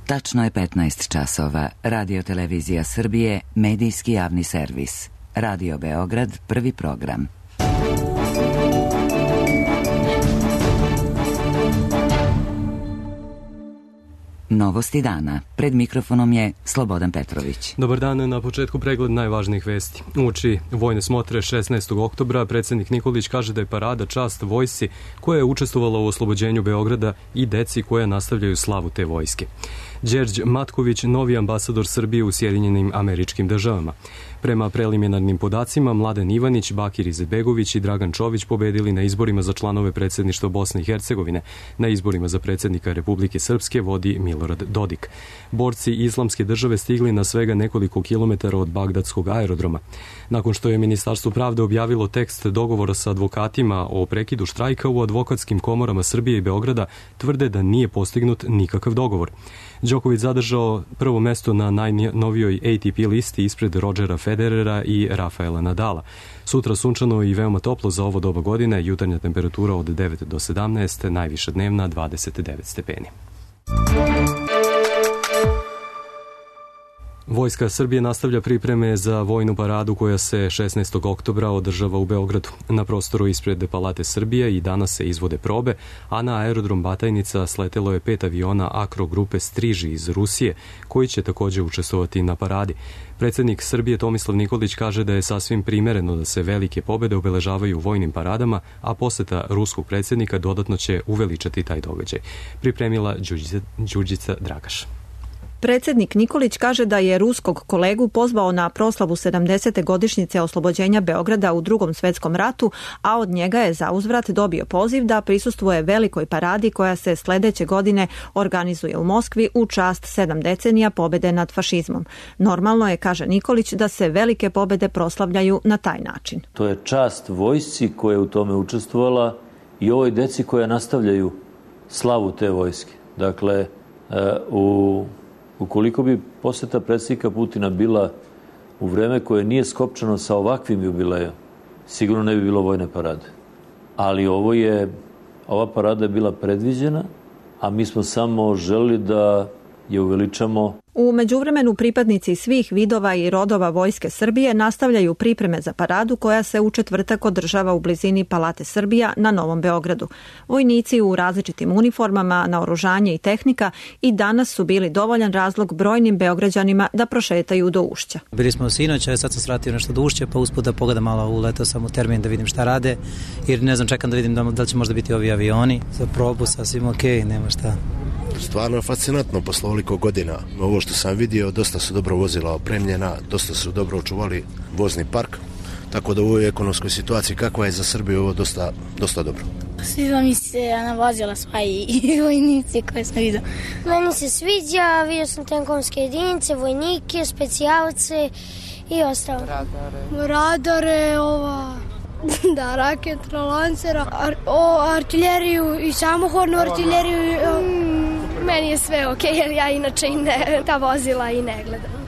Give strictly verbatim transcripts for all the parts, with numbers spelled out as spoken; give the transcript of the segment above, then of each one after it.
Tačno je petnaest časova. Radio Televizija Srbije, medijski javni servis. Radio Beograd, prvi program. Novosti dana. Pred mikrofonom je Slobodan Petrović. Dobar dan, na početku pregled najvažnijih vesti. Uoči vojne smotre šesnaestog oktobra predsjednik Nikolić kaže da je parada čast vojsci koja je učestvovala u oslobođenju Beograda i deci koja nastavljaju slavu te vojske. Đerđ Matković, novi ambasador Srbije u Sjedinjenim Američkim Državama. Prema preliminarnim podacima, Mladen Ivanić, Bakir Izetbegović i Dragan Čović pobedili na izborima za članove predsjedništva Bosne i Hercegovine. Na izborima za predsjednika Republike Srpske vodi Milorad Dodik. Borci Islamske države stigli na svega nekoliko kilometara od Bagdadskog aerodroma. Nakon što je Ministarstvo pravde objavilo tekst dogovora sa advokatima o prekidu štrajka, u advokatskim komorama Srbije i Beograda tvrde da nije postignut nikakav dogovor. Đoković zadržao prvo mesto na najnovijoj A T P listi ispred Rodgera Federera i Rafaela Nadala. Sutra sunčano i veoma toplo za ovo doba godine, jutarnja temperatura od devet do sedamnaest, najviša dnevna dvadeset devet stepeni. Vojska Srbije nastavlja pripreme za vojnu paradu koja se šesnaestog oktobra održava u Beogradu. Na prostoru ispred Palate Srbije i danas se izvode probe, a na aerodrom Batajnica sletelo je pet aviona Akro grupe Striži iz Rusije, koji će također učestvovati na paradi. Predsjednik Srbije Tomislav Nikolić kaže da je sasvim primereno da se velike pobjede obeležavaju vojnim paradama, a poseta ruskog predsjednika dodatno će uveličati taj događaj. Pripremila Đurđica, Đurđica Dragaš. Predsjednik Nikolić kaže da je ruskog kolegu pozvao na proslavu sedamdesete godišnjice oslobođenja Beograda u Drugom svjetskom ratu, a od njega je zauzvrat dobio poziv da prisustvuje velikoj paradi koja se sljedeće godine organizuje u Moskvi u čast sedam decenija pobjede nad fašizmom. Normalno je, kaže Nikolić, da se velike pobjede proslavljaju na taj način. To je čast vojsci koja je u tome učestvovala i ovoj deci koja nastavljaju slavu te vojske. Dakle, u ukoliko bi posjeta predsjednika Putina bila u vreme koje nije skopčano sa ovakvim jubilejom, sigurno ne bi bilo vojne parade. Ali ovo je, ova parada je bila predviđena, a mi smo samo želili da je uveličamo. U međuvremenu pripadnici svih vidova i rodova Vojske Srbije nastavljaju pripreme za paradu koja se u četvrtak održava u blizini Palate Srbija na Novom Beogradu. Vojnici u različitim uniformama, naoružanje i tehnika i danas su bili dovoljan razlog brojnim Beograđanima da prošetaju do Ušća. Bili smo sinoć, a sad sam svratio nešto do Ušća, pa usput da pogledam malo, uletao sam u termin da vidim šta rade, jer ne znam, čekam da vidim da, da li će možda biti ovi avioni. Za probu sasvim ok, nema šta. Stvarno je fascinantno posle ovoliko godina. Ovo što sam vidio, dosta su dobro vozila opremljena, dosta su dobro očuvali vozni park, tako da u ovoj ekonomskoj situaciji kakva je za Srbiju ovo dosta, dosta dobro. Sviđa mi se na vozila sva i vojnici koje sam vidio. Meni se sviđa, vidio sam tenkovske jedinice, vojnike, specijalce i ostalo. Radare. Radare, ova... Da, raketra, lancera, ar, o, artiljeriju i samohodnu artiljeriju. O... Mm, meni je sve ok, jer ja inače i ne, ta vozila i ne gledam.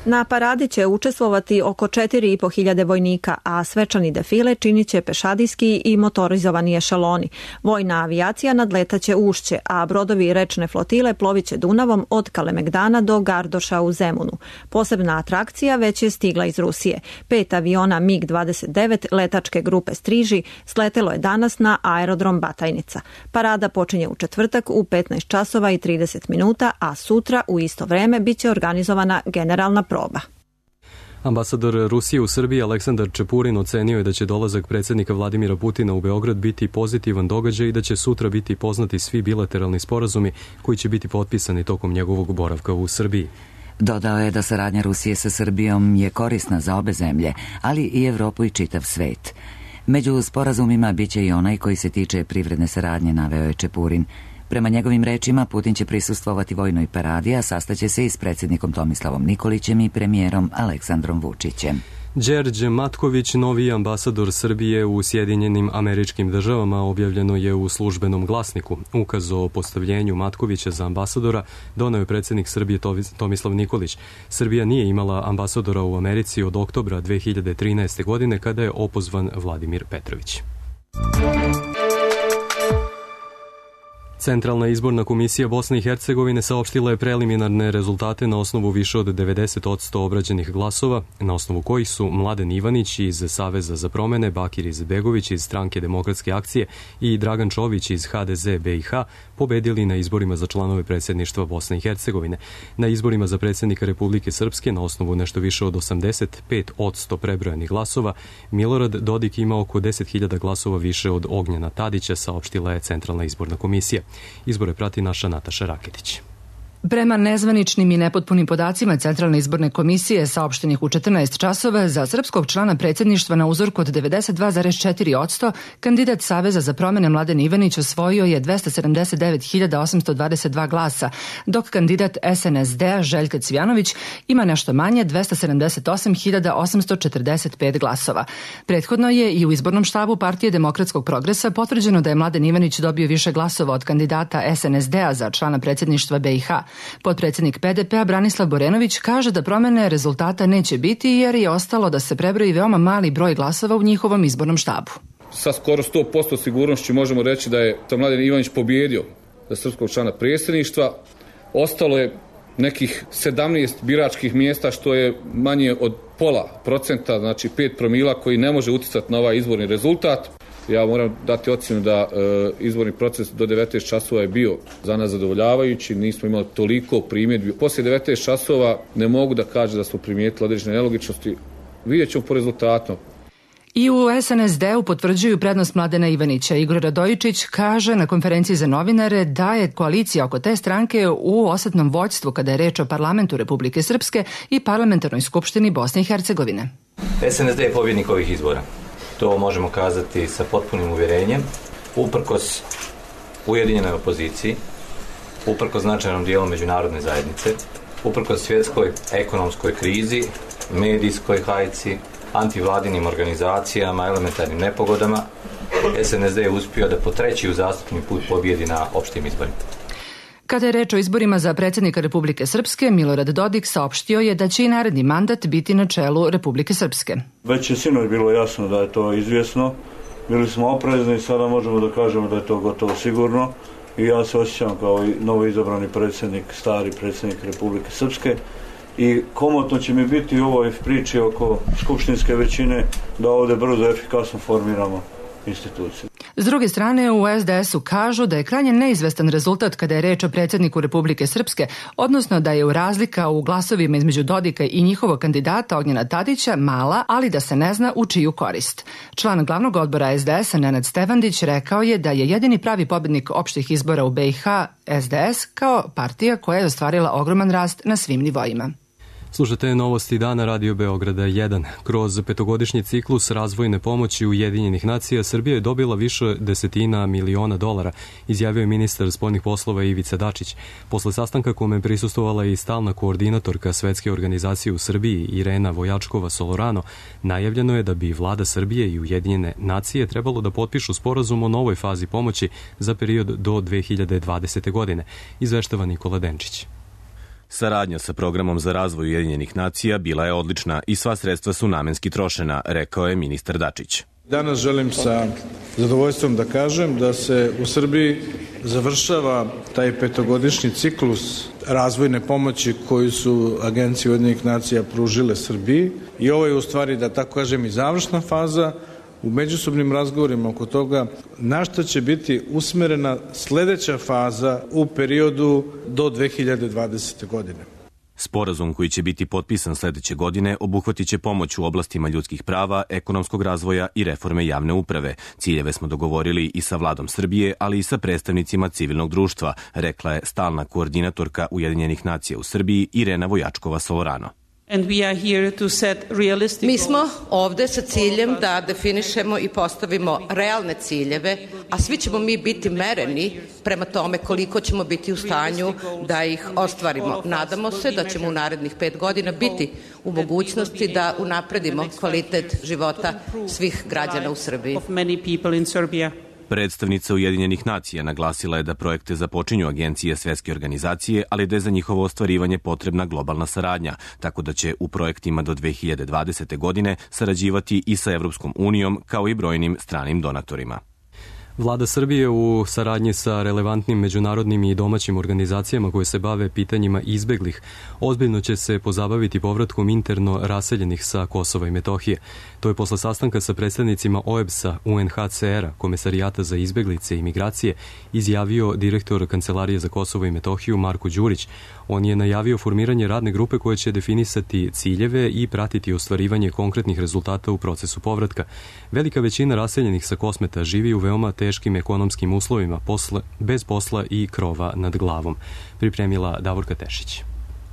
Na paradi će učestvovati oko četiri i po hiljade vojnika, a svečani defile činit će pešadijski i motorizovani ešaloni. Vojna avijacija nadletaće Ušće, a brodovi rečne flotile ploviće Dunavom od Kalemegdana do Gardoša u Zemunu. Posebna atrakcija već je stigla iz Rusije. Pet aviona mig dvadeset devet letačke grupe Striži sletelo je danas na aerodrom Batajnica. Parada počinje u četvrtak u petnaest časova i trideset minuta, a sutra u isto vreme biće organizovana generalna proba. Ambasador Rusije u Srbiji Aleksandar Čepurin ocenio je da će dolazak predsjednika Vladimira Putina u Beograd biti pozitivan događaj i da će sutra biti poznati svi bilateralni sporazumi koji će biti potpisani tokom njegovog boravka u Srbiji. Dodao je da saradnja Rusije sa Srbijom je korisna za obe zemlje, ali i Evropu i čitav svet. Među sporazumima biće i onaj koji se tiče privredne saradnje, naveo je Čepurin. Prema njegovim rečima, Putin će prisustvovati vojnoj paradi, a sastaće se i s predsjednikom Tomislavom Nikolićem i premijerom Aleksandrom Vučićem. Đerđ Matković, novi ambasador Srbije u Sjedinjenim Američkim Državama, objavljeno je u službenom glasniku. Ukaz o postavljenju Matkovića za ambasadora doneo je predsjednik Srbije Tomislav Nikolić. Srbija nije imala ambasadora u Americi od oktobra dve hiljade trinaeste. godine kada je opozvan Vladimir Petrović. Centralna izborna komisija Bosne i Hercegovine saopštila je preliminarne rezultate na osnovu više od devedeset posto obrađenih glasova, na osnovu kojih su Mladen Ivanić iz Saveza za promene, Bakir Izetbegović iz Stranke demokratske akcije i Dragan Čović iz H D Z B i H pobedili na izborima za članove predsjedništva Bosne i Hercegovine. Na izborima za predsjednika Republike Srpske na osnovu nešto više od osamdeset pet posto prebrojanih glasova, Milorad Dodik ima oko deset hiljada glasova više od Ognjena Tadića, saopštila je Centralna izborna komisija. Izbore prati naša Nataša Raketić. Prema nezvaničnim i nepotpunim podacima Centralne izborne komisije saopštenih u četrnaest časova, za srpskog člana predsjedništva na uzorku od devedeset dva zarez četiri posto kandidat Saveza za promene Mladen Ivanić osvojio je dvesta sedamdeset devet hiljada osamsto dvadeset dva glasa, dok kandidat S N S D-a Željka Cvijanović ima nešto manje dvesta sedamdeset osam hiljada osamsto četrdeset pet glasova. Prethodno je i u izbornom štabu Partije demokratskog progresa potvrđeno da je Mladen Ivanić dobio više glasova od kandidata S N S D-a za člana predsjedništva B i H. Potpredsjednik P D P-a Branislav Borenović kaže da promene rezultata neće biti jer je ostalo da se prebroji veoma mali broj glasova u njihovom izbornom štabu. Sa skoro sto posto sigurnošću možemo reći da je Mladen Ivanić pobjedio za srpskog člana predsjedništva. Ostalo je nekih sedamnaest biračkih mjesta, što je manje od pola procenta, znači pet promila, koji ne može uticati na ovaj izborni rezultat. Ja moram dati ocjenu da e, izborni proces do devetnaest časova je bio za nas zadovoljavajući, nismo imali toliko primjedbi. Poslije devetnaest časova ne mogu da kažem da smo primijetili određene nelogičnosti. Vidjet ćemo po rezultatu. I u S N S D-u potvrđuju prednost Mladena Ivanića. Igor Radojičić kaže na konferenciji za novinare da je koalicija oko te stranke u osetnom vođstvu kada je reč o parlamentu Republike Srpske i parlamentarnoj skupštini Bosne i Hercegovine. S N S D je pobjednik ovih izbora. To možemo kazati sa potpunim uvjerenjem, uprkos ujedinjenoj opoziciji, uprkos značajnom dijelu međunarodne zajednice, uprkos svjetskoj ekonomskoj krizi, medijskoj hajci, antivladinim organizacijama, elementarnim nepogodama, S N S D je uspio da po treći uzastopni put pobjedi na opštim izborima. Kada je reč o izborima za predsjednika Republike Srpske, Milorad Dodik saopštio je da će i naredni mandat biti na čelu Republike Srpske. Već je sinoć bilo jasno da je to izvjesno. Bili smo oprezni i sada možemo da kažemo da je to gotovo sigurno. I ja se osjećam kao i novo izabrani predsjednik, stari predsjednik Republike Srpske. I komotno će mi biti u ovoj priči oko skupštinske većine da ovdje brzo i efikasno formiramo instituciju. S druge strane, u S D S-u kažu da je krajnje neizvestan rezultat kada je reč o predsjedniku Republike Srpske, odnosno da je u razlika u glasovima između Dodika i njihovog kandidata Ognjena Tadića mala, ali da se ne zna u čiju korist. Član glavnog odbora S D S-a Nenad Stevandić rekao je da je jedini pravi pobjednik opštih izbora u B i H S D S kao partija koja je ostvarila ogroman rast na svim nivoima. Slušate novosti dana Radio Beograda jedan. Kroz petogodišnji ciklus razvojne pomoći Ujedinjenih nacija Srbija je dobila više desetina miliona dolara, izjavio je ministar spoljnih poslova Ivica Dačić. Posle sastanka kome je prisustvovala i stalna koordinatorka Svetske organizacije u Srbiji Irena Vojačkova Solorano, najavljeno je da bi vlada Srbije i Ujedinjene nacije trebalo da potpišu sporazum o novoj fazi pomoći za period do dve hiljade dvadesete. godine, izveštava Nikola Denčić. Saradnja sa programom za razvoj Ujedinjenih nacija bila je odlična i sva sredstva su namenski trošena, rekao je ministar Dačić. Danas želim sa zadovoljstvom da kažem da se u Srbiji završava taj petogodišnji ciklus razvojne pomoći koju su agencije Ujedinjenih nacija pružile Srbiji i ovo je u stvari, da tako kažem, i završna faza u međusobnim razgovorima oko toga na šta će biti usmerena sljedeća faza u periodu do dve hiljade dvadesete. godine. Sporazum koji će biti potpisan sljedeće godine obuhvatit će pomoć u oblastima ljudskih prava, ekonomskog razvoja i reforme javne uprave. Ciljeve smo dogovorili i sa vladom Srbije, ali i sa predstavnicima civilnog društva, rekla je stalna koordinatorka Ujedinjenih nacija u Srbiji Irena Vojačkova Solorano. Mi smo ovdje sa ciljem da definišemo i postavimo realne ciljeve, a svi ćemo mi biti mereni prema tome koliko ćemo biti u stanju da ih ostvarimo. Nadamo se da ćemo u narednih pet godina biti u mogućnosti da unapredimo kvalitet života svih građana u Srbiji. Predstavnica Ujedinjenih nacija naglasila je da projekte započinju agencije Svetske organizacije, ali da je za njihovo ostvarivanje potrebna globalna saradnja, tako da će u projektima do dve hiljade dvadesete. godine sarađivati i sa Evropskom unijom kao i brojnim stranim donatorima. Vlada Srbije u saradnji sa relevantnim međunarodnim i domaćim organizacijama koje se bave pitanjima izbeglih ozbiljno će se pozabaviti povratkom interno raseljenih sa Kosova i Metohije. To je posle sastanka sa predstavnicima O E B S-a, U N H C R-a, Komesarijata za izbeglice i migracije, izjavio direktor Kancelarije za Kosovo i Metohiju Marko Đurić. On je najavio formiranje radne grupe koja će definisati ciljeve i pratiti ostvarivanje konkretnih rezultata u procesu povratka. Velika većina raseljenih sa Kosmeta živi u veoma teškim ekonomskim uslovima, posle, bez posla i krova nad glavom. Pripremila Davorka Tešić.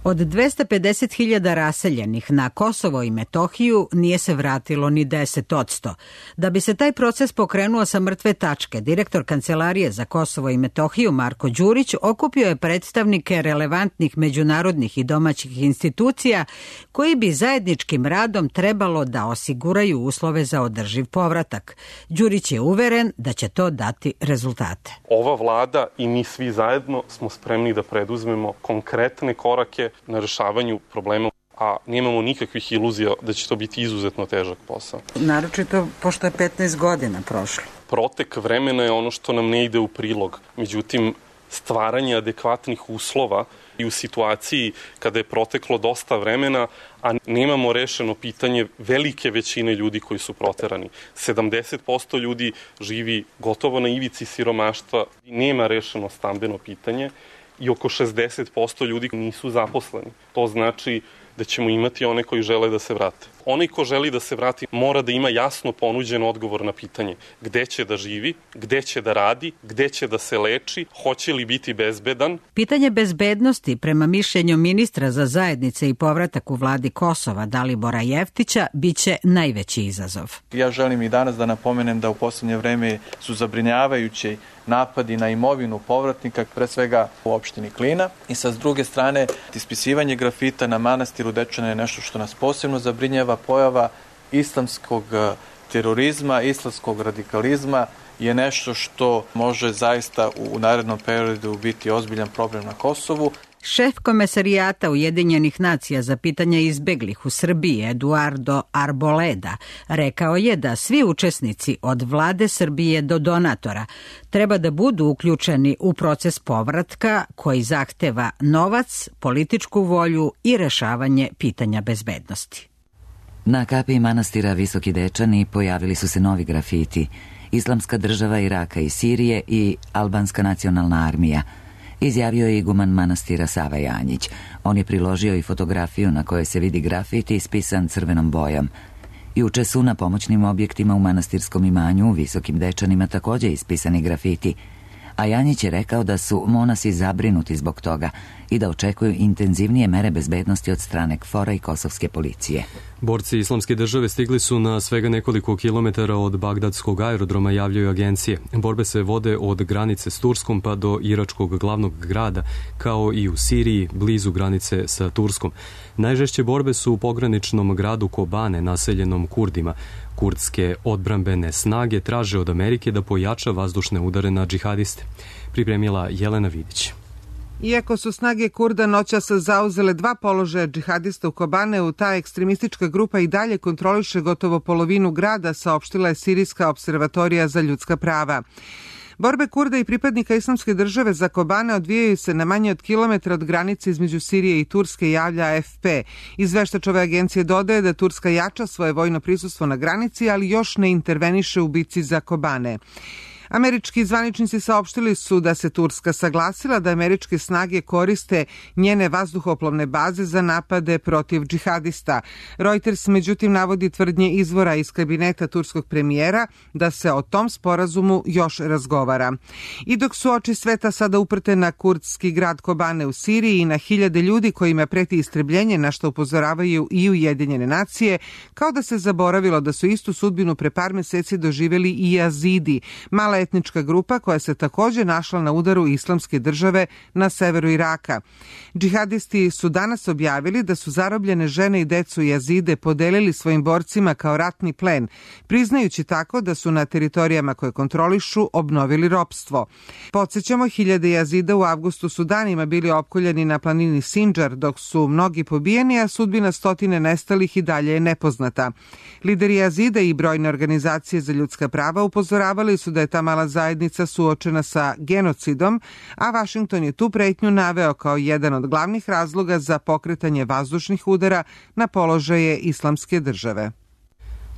Od dvesta pedeset hiljada raseljenih na Kosovo i Metohiju nije se vratilo ni deset odsto. Da bi se taj proces pokrenuo sa mrtve tačke, direktor Kancelarije za Kosovo i Metohiju Marko Đurić okupio je predstavnike relevantnih međunarodnih i domaćih institucija koji bi zajedničkim radom trebalo da osiguraju uslove za održiv povratak. Đurić je uveren da će to dati rezultate. Ova vlada i mi svi zajedno smo spremni da preduzmemo konkretne korake na rešavanju problema, a nemamo nikakvih iluzija da će to biti izuzetno težak posao. Naročito pošto je petnaest godina prošlo. Protek vremena je ono što nam ne ide u prilog. Međutim, stvaranje adekvatnih uslova i u situaciji kada je proteklo dosta vremena, a nemamo rešeno pitanje velike većine ljudi koji su proterani. sedamdeset posto ljudi živi gotovo na ivici siromaštva, nema rešeno stambeno pitanje i oko šezdeset posto ljudi nisu zaposleni. To znači da ćemo imati one koji žele da se vrate. Onaj ko želi da se vrati mora da ima jasno ponuđen odgovor na pitanje gde će da živi, gde će da radi, gde će da se leči, hoće li biti bezbedan. Pitanje bezbednosti, prema mišljenju ministra za zajednice i povratak u vladi Kosova Dalibora Jeftića, biće najveći izazov. Ja želim i danas da napomenem da u poslednje vreme su zabrinjavajući napadi na imovinu povratnika, pre svega u opštini Klina. I sa s druge strane, ispisivanje grafita na manastiru Dečane je nešto što nas posebno zabrinjava. Pojava islamskog terorizma, islamskog radikalizma je nešto što može zaista u narednom periodu biti ozbiljan problem na Kosovu. Šef Komesarijata Ujedinjenih nacija za pitanja izbeglih u Srbiji, Eduardo Arboleda, rekao je da svi učesnici od vlade Srbije do donatora treba da budu uključeni u proces povratka koji zahteva novac, političku volju i rešavanje pitanja bezbednosti. Na kapiji manastira Visoki Dečani pojavili su se novi grafiti: Islamska država Iraka i Sirije i Albanska nacionalna armija, izjavio je iguman manastira Sava Janjić. On je priložio i fotografiju na kojoj se vidi grafiti ispisan crvenom bojom. Juče su na pomoćnim objektima u manastirskom imanju u Visokim Dečanima također ispisani grafiti, a Janjić je rekao da su monasi zabrinuti zbog toga i da očekuju intenzivnije mere bezbednosti od strane K F O R-a i kosovske policije. Borci Islamske države stigli su na svega nekoliko kilometara od bagdadskog aerodroma, javljaju agencije. Borbe se vode od granice s Turskom pa do iračkog glavnog grada, kao i u Siriji, blizu granice sa Turskom. Najžešće borbe su u pograničnom gradu Kobane, naseljenom Kurdima. Kurdske odbrambene snage traže od Amerike da pojača vazdušne udare na džihadiste. Pripremila Jelena Vidić. Iako su snage Kurda noćas zauzele dva položaja džihadista u Kobaneu, ta ekstremistička grupa i dalje kontroliše gotovo polovinu grada, saopštila je Sirijska observatorija za ljudska prava. Borbe Kurda i pripadnika Islamske države za Kobane odvijaju se na manje od kilometra od granice između Sirije i Turske, javlja A F P. Izveštač ove agencije dodaje da Turska jača svoje vojno prisustvo na granici, ali još ne interveniše u bici za Kobane. Američki zvaničnici saopštili su da se Turska saglasila da američke snage koriste njene vazduhoplovne baze za napade protiv džihadista. Reuters međutim navodi tvrdnje izvora iz kabineta turskog premijera da se o tom sporazumu još razgovara. I dok su oči sveta sada uprte na kurdski grad Kobane u Siriji i na hiljade ljudi kojima preti istrebljenje, na što upozoravaju i Ujedinjene nacije, kao da se zaboravilo da su istu sudbinu pre par meseci doživjeli i Jazidi, mala etnička grupa koja se također našla na udaru Islamske države na severu Iraka. Džihadisti su danas objavili da su zarobljene žene i decu Jazide podelili svojim borcima kao ratni plen, priznajući tako da su na teritorijama koje kontrolišu obnovili ropstvo. Podsjećamo, hiljade Jazida u avgustu su danima bili opkoljeni na planini Sinjar, dok su mnogi pobijeni, a sudbina stotine nestalih i dalje je nepoznata. Lideri Jazida i brojne organizacije za ljudska prava upozoravali su da je ta mala zajednica suočena sa genocidom, a Vašington je tu pretnju naveo kao jedan od glavnih razloga za pokretanje vazdušnih udara na položaje Islamske države.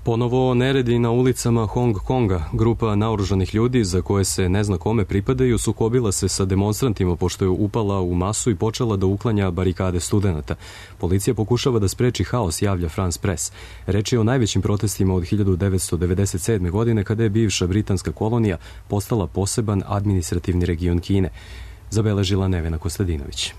Ponovo neredi na ulicama Hong Konga. Grupa naoružanih ljudi za koje se ne zna kome pripadaju sukobila se sa demonstrantima pošto je upala u masu i počela da uklanja barikade studenata. Policija pokušava da spreči haos, javlja France Press. Reč je o najvećim protestima od hiljadu devetsto devedeset sedme. godine kada je bivša britanska kolonija postala poseban administrativni region Kine. Zabeležila Nevena Kostadinović.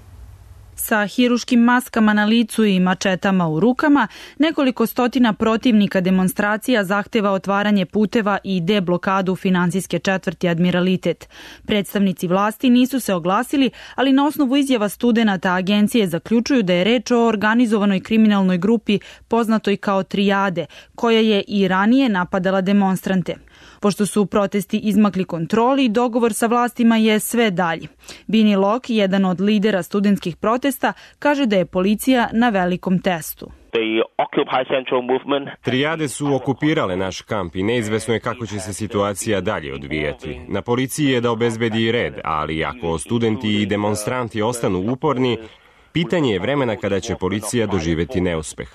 Sa hiruškim maskama na licu i mačetama u rukama, nekoliko stotina protivnika demonstracija zahteva otvaranje puteva i deblokadu finansijske četvrti Admiralitet. Predstavnici vlasti nisu se oglasili, ali na osnovu izjava studenata agencije zaključuju da je reč o organizovanoj kriminalnoj grupi poznatoj kao Trijade, koja je i ranije napadala demonstrante. Pošto su protesti izmakli kontroli, dogovor sa vlastima je sve dalji. Bini Lok, jedan od lidera studentskih protesta, kaže da je policija na velikom testu. Trijade su okupirale naš kamp i neizvesno je kako će se situacija dalje odvijati. Na policiji je da obezbedi red, ali ako studenti i demonstranti ostanu uporni, pitanje je vremena kada će policija doživeti neuspeh.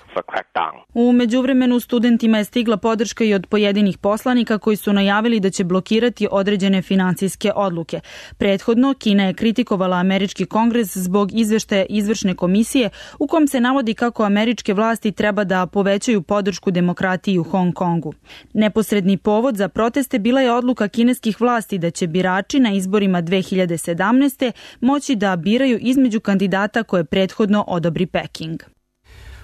U međuvremenu studentima je stigla podrška i od pojedinih poslanika koji su najavili da će blokirati određene finansijske odluke. Prethodno, Kina je kritikovala američki kongres zbog izveštaja izvršne komisije u kom se navodi kako američke vlasti treba da povećaju podršku demokratiji u Hong Kongu. Neposredni povod za proteste bila je odluka kineskih vlasti da će birači na izborima dve hiljade sedamnaeste. moći da biraju između kandidata koje prethodno odobri Peking.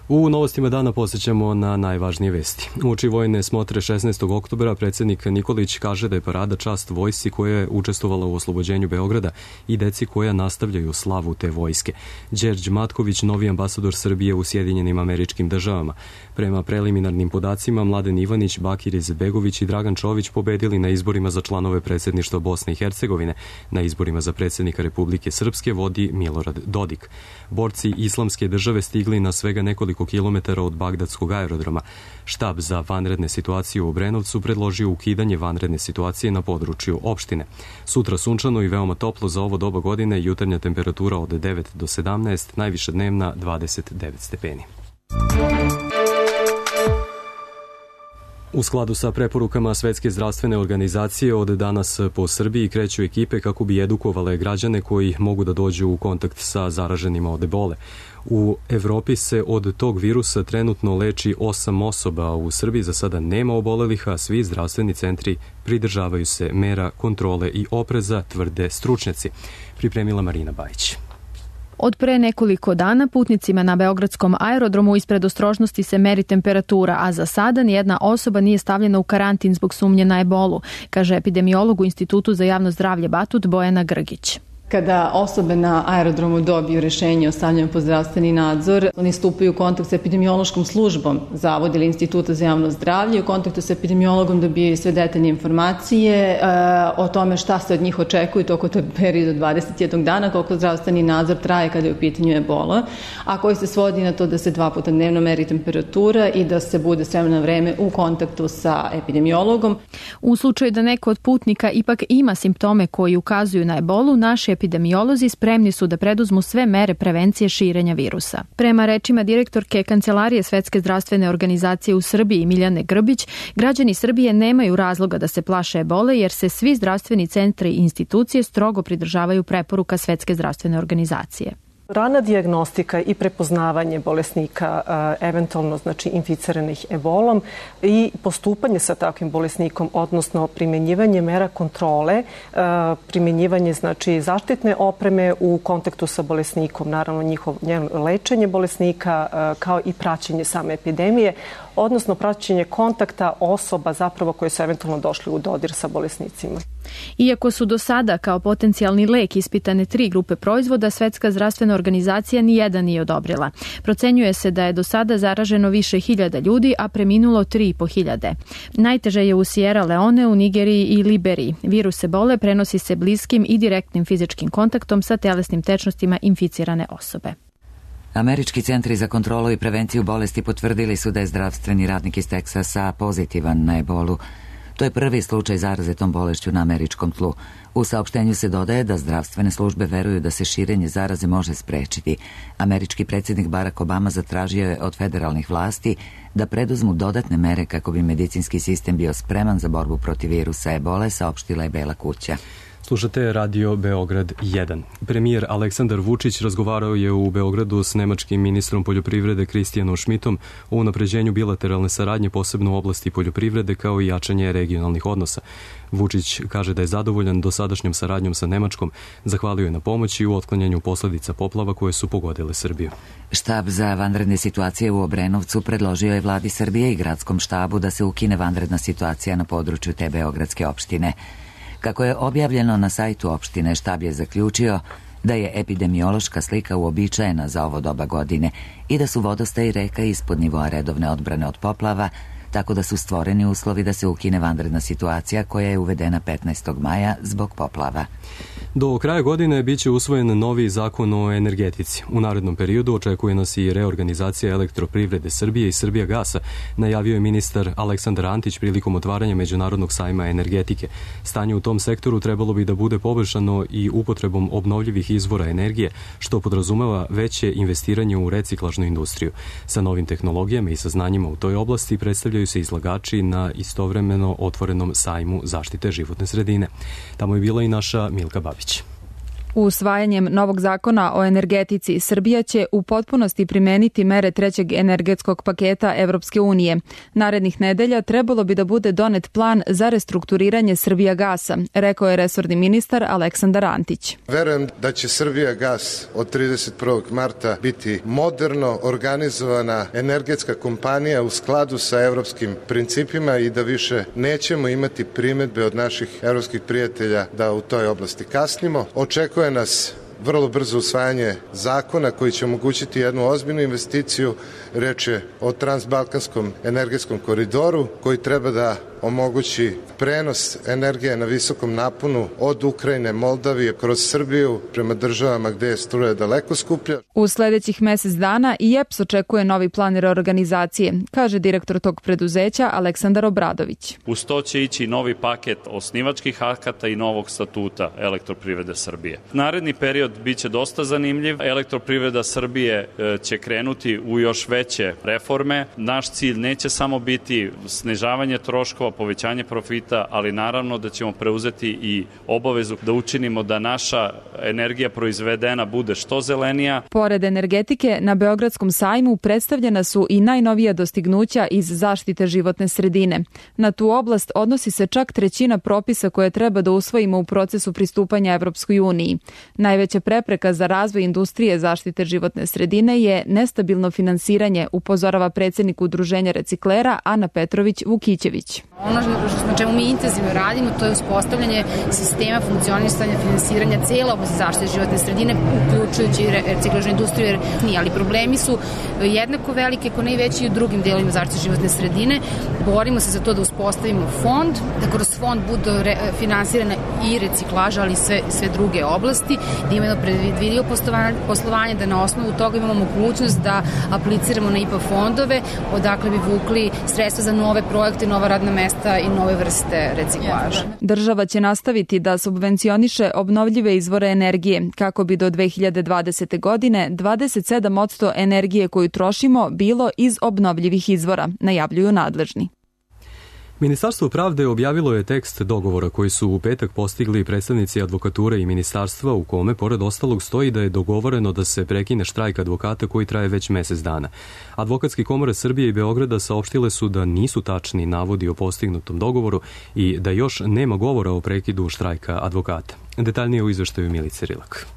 U novostima dana posjećamo na najvažnije vesti. Uoči vojne smotre šesnaestog oktobra predsjednik Nikolić kaže da je parada čast vojsci koja je učestvovala u oslobođenju Beograda i deci koja nastavljaju slavu te vojske. Đerđ Matković, novi ambasador Srbije u Sjedinjenim Američkim Državama. Prema preliminarnim podacima, Mladen Ivanić, Bakir Izetbegović i Dragan Čović pobedili na izborima za članove predsjedništva Bosne i Hercegovine. Na izborima za predsjednika Republike Srpske vodi Milorad Dodik. Borci Islamske države stigli na svega nekoliko kilometara od Bagdadskog aerodroma. Štab za vanredne situacije u Obrenovcu predložio ukidanje vanredne situacije na području opštine. Sutra sunčano i veoma toplo za ovo doba godine, jutarnja temperatura od devet do sedamnaest, najviša dnevna dvadeset devet stepeni. U skladu sa preporukama Svetske zdravstvene organizacije, od danas po Srbiji kreću ekipe kako bi edukovale građane koji mogu da dođu u kontakt sa zaraženima od ebole. U Evropi se od tog virusa trenutno leči osam osoba, a u Srbiji za sada nema obolelih, a svi zdravstveni centri pridržavaju se mera kontrole i opreza, tvrde stručnjaci. Pripremila Marina Bajić. Od pre nekoliko dana putnicima na Beogradskom aerodromu iz predostrožnosti se meri temperatura, a za sada nijedna osoba nije stavljena u karantin zbog sumnje na ebolu, kaže epidemiolog u Institutu za javno zdravlje Batut Bojana Grgić. Kada osobe na aerodromu dobiju rešenje o stavljanju pod zdravstveni nadzor, oni stupaju u kontakt sa epidemiološkom službom Zavoda ili Instituta za javno zdravlje. U kontaktu sa epidemiologom dobijaju sve detaljne informacije e, o tome šta se od njih očekuje tokom tog perioda dvadeset jednog dana, koliko zdravstveni nadzor traje kada je u pitanju ebola, a koji se svodi na to da se dva puta dnevno meri temperatura i da se bude s vremena na vreme u kontaktu sa epidemiologom. U slučaju da neko od putnika ipak ima simptome koji ukazuju na ebolu, naši epidemiolozi spremni su da preduzmu sve mere prevencije širenja virusa. Prema rečima direktorke Kancelarije Svetske zdravstvene organizacije u Srbiji Miljane Grbić, građani Srbije nemaju razloga da se plaše ebole jer se svi zdravstveni centri i institucije strogo pridržavaju preporuka Svetske zdravstvene organizacije. Rana dijagnostika i prepoznavanje bolesnika eventualno znači inficiranih ebolom i postupanje sa takvim bolesnikom, odnosno primjenjivanje mera kontrole, primjenjivanje znači zaštitne opreme u kontaktu sa bolesnikom, naravno njihovo lečenje bolesnika kao i praćenje same epidemije, odnosno praćenje kontakta osoba zapravo koje su eventualno došli u dodir sa bolesnicima. Iako su do sada kao potencijalni lek ispitane tri grupe proizvoda, Svetska zdravstvena organizacija nijedan nije odobrila. Procenjuje se da je do sada zaraženo više hiljada ljudi, a preminulo tri i po hiljade. Najteže je u Sierra Leone, u Nigeriji i Liberiji. Virus ebole prenosi se bliskim i direktnim fizičkim kontaktom sa telesnim tečnostima inficirane osobe. Američki centri za kontrolu i prevenciju bolesti potvrdili su da je zdravstveni radnik iz Teksasa pozitivan na ebolu. To je prvi slučaj zaraze tom bolešću na američkom tlu. U saopštenju se dodaje da zdravstvene službe veruju da se širenje zaraze može sprečiti. Američki predsjednik Barack Obama zatražio je od federalnih vlasti da preduzmu dodatne mere kako bi medicinski sistem bio spreman za borbu protiv virusa ebole, saopštila je Bela kuća. Slušate Radio Beograd jedan. Premijer Aleksandar Vučić razgovarao je u Beogradu s nemačkim ministrom poljoprivrede Kristijanom Šmitom o unapređenju bilateralne saradnje, posebno u oblasti poljoprivrede, kao i jačanje regionalnih odnosa. Vučić kaže da je zadovoljan dosadašnjom saradnjom sa Nemačkom, zahvalio je na pomoći u otklanjanju posledica poplava koje su pogodile Srbiju. Štab za vanredne situacije u Obrenovcu predložio je vladi Srbije i gradskom štabu da se ukine vanredna situacija na području te beogradske opštine. Kako je objavljeno na sajtu opštine, štab je zaključio da je epidemiološka slika uobičajena za ovo doba godine i da su vodostaj reka ispod nivoa redovne odbrane od poplava, tako da su stvoreni uslovi da se ukine vanredna situacija koja je uvedena petnaestog maja zbog poplava. Do kraja godine biće usvojen novi zakon o energetici. U narednom periodu očekuje nas i reorganizacija Elektroprivrede Srbije i Srbijagasa, najavio je ministar Aleksandar Antić prilikom otvaranja Međunarodnog sajma energetike. Stanje u tom sektoru trebalo bi da bude poboljšano i upotrebom obnovljivih izvora energije, što podrazumeva veće investiranje u reciklažnu industriju. Sa novim tehnologijama i saznanjima u toj oblasti predstavljaju se izlagači na istovremeno otvorenom sajmu zaštite životne sredine. Tamo je bila i naša Milka Babić. Usvajanjem novog zakona o energetici, Srbija će u potpunosti primeniti mere trećeg energetskog paketa Evropske unije. Narednih nedelja trebalo bi da bude donet plan za restrukturiranje Srbijagasa, rekao je resorni ministar Aleksandar Antić. Verujem da će Srbijagas od trideset prvog marta biti moderno organizovana energetska kompanija u skladu sa evropskim principima i da više nećemo imati primedbe od naših evropskih prijatelja da u toj oblasti kasnimo. Očekujemo nas vrlo brzo usvajanje zakona koji će omogućiti jednu ozbiljnu investiciju. Reč je o transbalkanskom energetskom koridoru koji treba da omogući prenos energije na visokom naponu od Ukrajine, Moldavije, kroz Srbiju prema državama gde je struja daleko skuplja. U sledećih mesec dana i E P S očekuje novi plan reorganizacije, kaže direktor tog preduzeća Aleksandar Obradović. Uz to će ići novi paket osnivačkih akata i novog statuta Elektroprivrede Srbije. Naredni period biće dosta zanimljiv. Elektroprivreda Srbije će krenuti u još veće reforme. Naš cilj neće samo biti snižavanje troškova, povećanje profita, ali naravno da ćemo preuzeti i obavezu da učinimo da naša energija proizvedena bude što zelenija. Pored energetike, na Beogradskom sajmu predstavljena su i najnovija dostignuća iz zaštite životne sredine. Na tu oblast odnosi se čak trećina propisa koje treba da usvojimo u procesu pristupanja Evropskoj uniji. Najveća prepreka za razvoj industrije zaštite životne sredine je nestabilno finansiranje, upozorava predsjednik Udruženja reciklera Ana Petrović-Vukićević. Ono na čemu mi intenzivno radimo, to je uspostavljanje sistema funkcionisanja finansiranja cijela oblast zaštite životne sredine, uključujući i reciklažnu industriju, jer nije, ali problemi su jednako velike, ako ne i veći i u drugim delovima zaštite životne sredine. Borimo se za to da uspostavimo fond, da kroz fond budu finansirane i reciklaža, ali i sve, sve druge oblasti, da imamo predvidio poslovanje, da na osnovu toga imamo mogućnost da apliciramo na I P A fondove, odakle bi vukli sredstva za nove projekte, nova radna mesta i nove vrste reciklaža. Država će nastaviti da subvencioniše obnovljive izvore energije, kako bi do dve hiljade dvadesete. godine dvadeset sedam posto energije koju trošimo bilo iz obnovljivih izvora, najavljuju nadležni. Ministarstvo pravde objavilo je tekst dogovora koji su u petak postigli predstavnici advokature i ministarstva, u kome, pored ostalog, stoji da je dogovoreno da se prekine štrajk advokata koji traje već mesec dana. Advokatske komore Srbije i Beograda saopštile su da nisu tačni navodi o postignutom dogovoru i da još nema govora o prekidu štrajka advokata. Detaljnije u izveštaju Milice Rilak.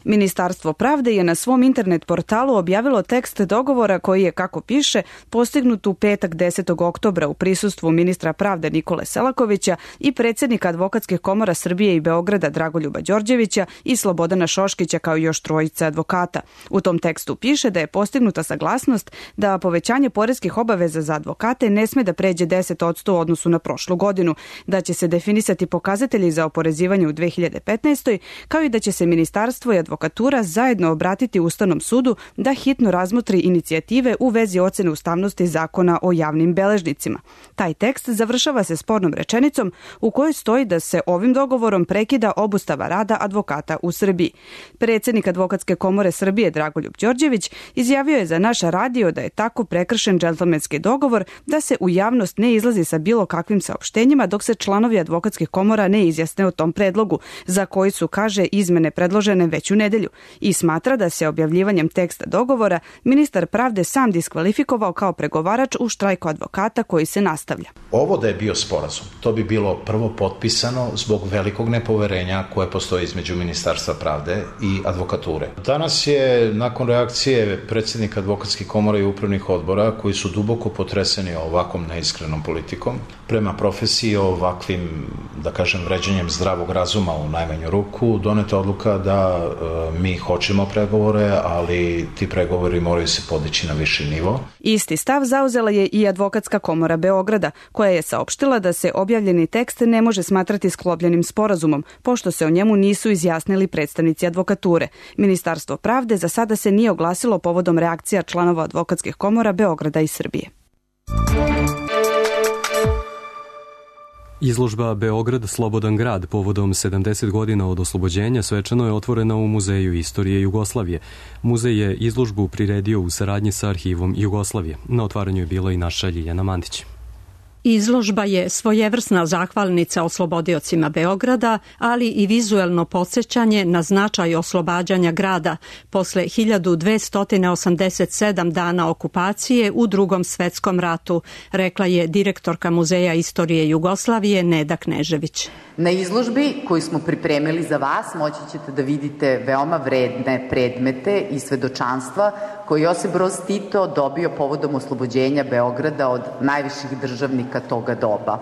Ministarstvo pravde je na svom internet portalu objavilo tekst dogovora koji je, kako piše, postignut u petak desetog oktobra u prisustvu ministra pravde Nikole Selakovića i predsjednika Advokatskih komora Srbije i Beograda Dragoljuba Đorđevića i Slobodana Šoškića, kao i još trojice advokata. U tom tekstu piše da je postignuta saglasnost da povećanje poreskih obaveza za advokate ne sme da pređe deset posto u odnosu na prošlu godinu, da će se definisati pokazatelji za oporezivanje u dve hiljade petnaestoj. kao i da će se ministarstvo i advokati advokatura zajedno obratiti Ustavnom sudu da hitno razmotri inicijative u vezi ocene ustavnosti zakona o javnim beležnicima. Taj tekst završava se spornom rečenicom u kojoj stoji da se ovim dogovorom prekida obustava rada advokata u Srbiji. Predsjednik Advokatske komore Srbije Dragoljub Đorđević izjavio je za naš radio da je tako prekršen džentlmenski dogovor da se u javnost ne izlazi sa bilo kakvim saopštenjima dok se članovi advokatskih komora ne izjasne o tom predlogu, za koji su, kaže, izmene predložene već u nedelju, i smatra da se objavljivanjem teksta dogovora ministar pravde sam diskvalifikovao kao pregovarač u štrajku advokata koji se nastavlja. Ovo da je bio sporazum, to bi bilo prvo potpisano zbog velikog nepoverenja koje postoji između Ministarstva pravde i advokature. Danas je, nakon reakcije predsjednika advokatskih komora i upravnih odbora, koji su duboko potreseni ovakvom neiskrenom politikom, prema profesiji ovakvim, da kažem, vređanjem zdravog razuma u najmanju ruku, doneta odluka da e, mi hoćemo pregovore, ali ti pregovori moraju se podići na viši nivo. Isti stav zauzela je i Advokatska komora Beograda, koja je saopštila da se objavljeni tekst ne može smatrati sklopljenim sporazumom, pošto se o njemu nisu izjasnili predstavnici advokature. Ministarstvo pravde za sada se nije oglasilo povodom reakcija članova advokatskih komora Beograda i Srbije. Izložba Beograd slobodan grad povodom sedamdeset godina od oslobođenja svečano je otvorena u Muzeju istorije Jugoslavije. Muzej je izložbu priredio u saradnji sa Arhivom Jugoslavije. Na otvaranju je bila i naša Ljiljana Mandić. Izložba je svojevrsna zahvalnica oslobodiocima Beograda, ali i vizuelno podsjećanje na značaj oslobađanja grada posle hiljadu dvesta osamdeset sedam dana okupacije u Drugom svetskom ratu, rekla je direktorka Muzeja istorije Jugoslavije Neda Knežević. Na izložbi koju smo pripremili za vas moći ćete da vidite veoma vredne predmete i svedočanstva koje Josip Broz Tito dobio povodom oslobođenja Beograda od najviših državnika toga doba.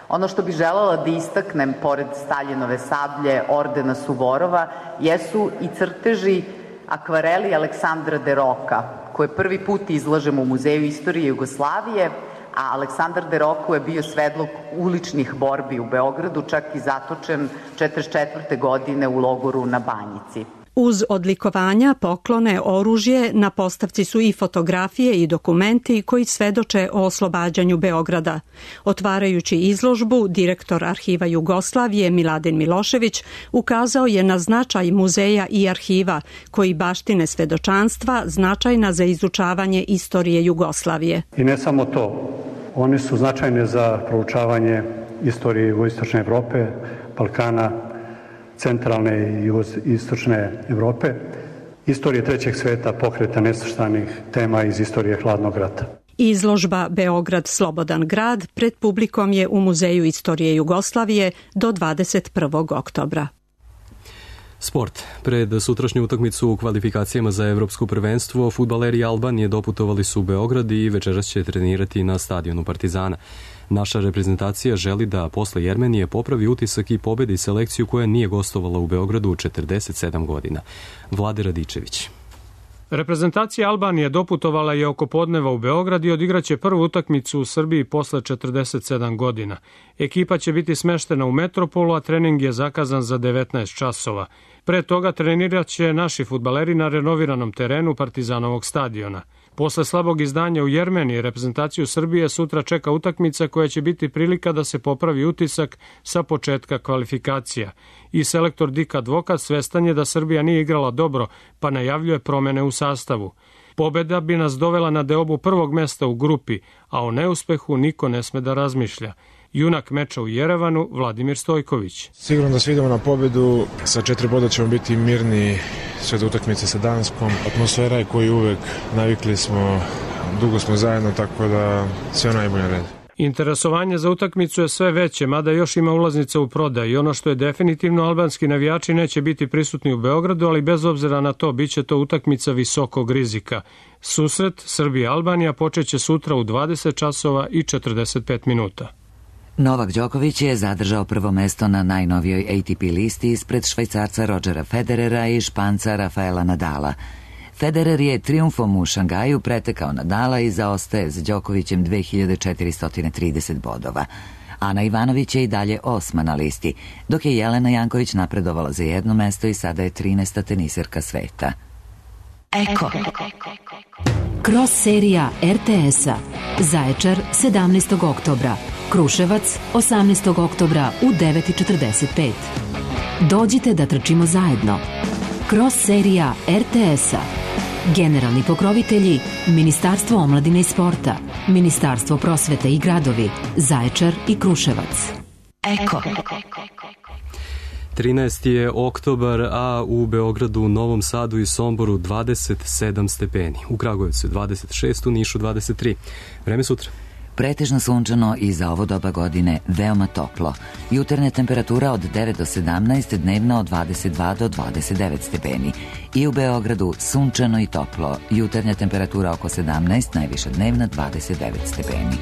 Ono što bih želela da istaknem, pored Staljinove sablje, ordena Suvorova, jesu i crteži akvareli Aleksandra de Roka, koje prvi put izlažemo u Muzeju istorije Jugoslavije, a Aleksandar de Roko je bio svedlog uličnih borbi u Beogradu, čak i zatočen četrdeset četvrte godine u logoru na Banjici. Uz odlikovanja, poklone, oružje, na postavci su i fotografije i dokumenti koji svedoče o oslobađanju Beograda. Otvarajući izložbu, direktor Arhiva Jugoslavije Miladin Milošević ukazao je na značaj muzeja i arhiva koji baštine svedočanstva značajna za izučavanje istorije Jugoslavije. I ne samo to, one su značajne za proučavanje istorije jugoistočne Evrope, Balkana, centralne i istočne Evrope, istorije trećeg sveta, pokreta nesvrstanih tema iz istorije hladnog rata. Izložba Beograd slobodan grad pred publikom je u Muzeju istorije Jugoslavije do dvadeset prvog oktobra. Sport. Pred sutrašnju utakmicu u kvalifikacijama za evropsko prvenstvo fudbaleri Albanije doputovali su u Beograd i večeras će trenirati na stadionu Partizana. Naša reprezentacija želi da posle Jermenije popravi utisak i pobedi selekciju koja nije gostovala u Beogradu u četrdeset sedam godina. Vlade Radičević. Reprezentacija Albanije doputovala je oko podneva u Beograd i odigraće prvu utakmicu u Srbiji posle četrdeset sedam godina. Ekipa će biti smeštena u Metropolu, a trening je zakazan za devetnaest časova. Pre toga trenirat će naši fudbaleri na renoviranom terenu Partizanovog stadiona. Posle slabog izdanja u Jermeniji, reprezentaciju Srbije sutra čeka utakmica koja će biti prilika da se popravi utisak sa početka kvalifikacija. I selektor Dik Advokat svestan je da Srbija nije igrala dobro, pa najavljuje promene u sastavu. Pobeda bi nas dovela na deobu prvog mesta u grupi, a o neuspehu niko ne sme da razmišlja. Junak meča u Jerevanu, Vladimir Stojković. Sigurno da svi idemo na pobedu, sa četiri boda ćemo biti mirni sve do utakmice sa Danskom. Atmosfera je koju uvek navikli smo, dugo smo zajedno, tako da sve najbolje red. Interesovanje za utakmicu je sve veće, mada još ima ulaznica u prodaj i ono što je definitivno, albanski navijači neće biti prisutni u Beogradu, ali bez obzira na to biće to utakmica visokog rizika. Susret Srbija-Albanija počeće sutra u dvadeset časova i četrdeset pet minuta. Novak Đoković je zadržao prvo mesto na najnovijoj A T P listi ispred Švajcarca Rodgera Federera i Španca Rafaela Nadala. Federer je trijumfom u Šangaju pretekao Nadala i zaostaje za Đokovićem dve hiljade četiristo trideset bodova. Ana Ivanović je i dalje osma na listi, dok je Jelena Janković napredovala za jedno mesto i sada je trinaesta teniserka sveta. Eko. Cross serija er te es-a. Zaječar sedamnaestog oktobra. Kruševac osamnaestog oktobra u devet i četrdeset pet. Dođite da trčimo zajedno. Cross serija er te es-a. Generalni pokrovitelji Ministarstvo omladine i sporta, Ministarstvo prosvete i gradovi, Zaječar i Kruševac. Eko. trinaesti je oktobar, a u Beogradu, Novom Sadu i Somboru dvadeset sedam stepeni. U Kragujevcu dvadeset šest, u Nišu dvadeset tri. Vreme sutra. Pretežno sunčano i za ovo doba godine veoma toplo. Jutarnja temperatura od devet do sedamnaest, dnevna od dvadeset dva do dvadeset devet stepeni. I u Beogradu sunčano i toplo. Jutarnja temperatura oko sedamnaest, najviša dnevna dvadeset devet stepeni.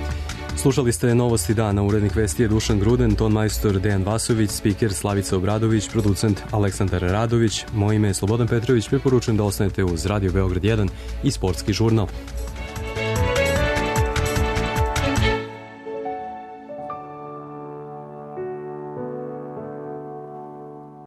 Slušali ste Novosti dana, urednik vesti je Dušan Gruden, ton majstor Dejan Vasović, spiker Slavica Obradović, producent Aleksandar Radović. Moje ime je Slobodan Petrović, preporučujem da ostanete uz Radio Beograd jedan i Sportski žurnal.